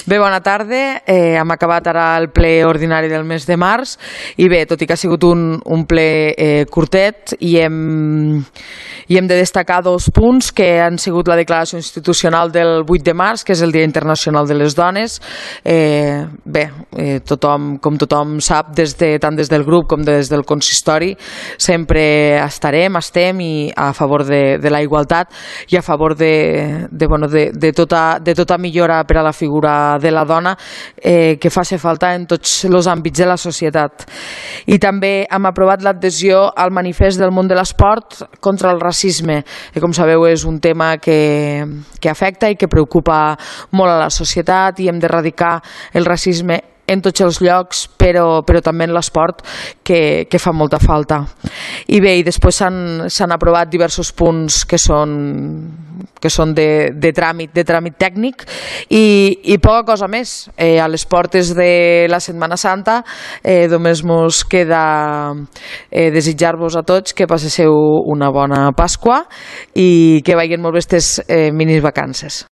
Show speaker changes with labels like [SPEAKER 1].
[SPEAKER 1] Bé, bona tarda. Hem acabat ara el ple ordinari del mes de març i bé, tot i que ha sigut un ple curtet i hem de destacar dos punts que han sigut la declaració institucional del 8 de març, que és el Dia Internacional de les Dones. Com tothom sap, tant des del grup com des del consistori, sempre estem a favor de la igualtat i a favor de tota millora per a la figura de la dona que faci falta en tots els àmbits de la societat. I també hem aprovat l'adhesió al manifest del món de l'esport contra el racisme, que com sabeu és un tema que afecta i que preocupa molt a la societat, i hem d'erradicar el racisme en tots els llocs, però també en l'esport, que fa molta falta. I bé, i després s'han aprovat diversos punts que són de tràmit tècnic i poca cosa més. A les portes de la Setmana Santa només ens queda desitjar-vos a tots que passeu una bona Pasqua i que vagin molt bé aquestes mini vacances.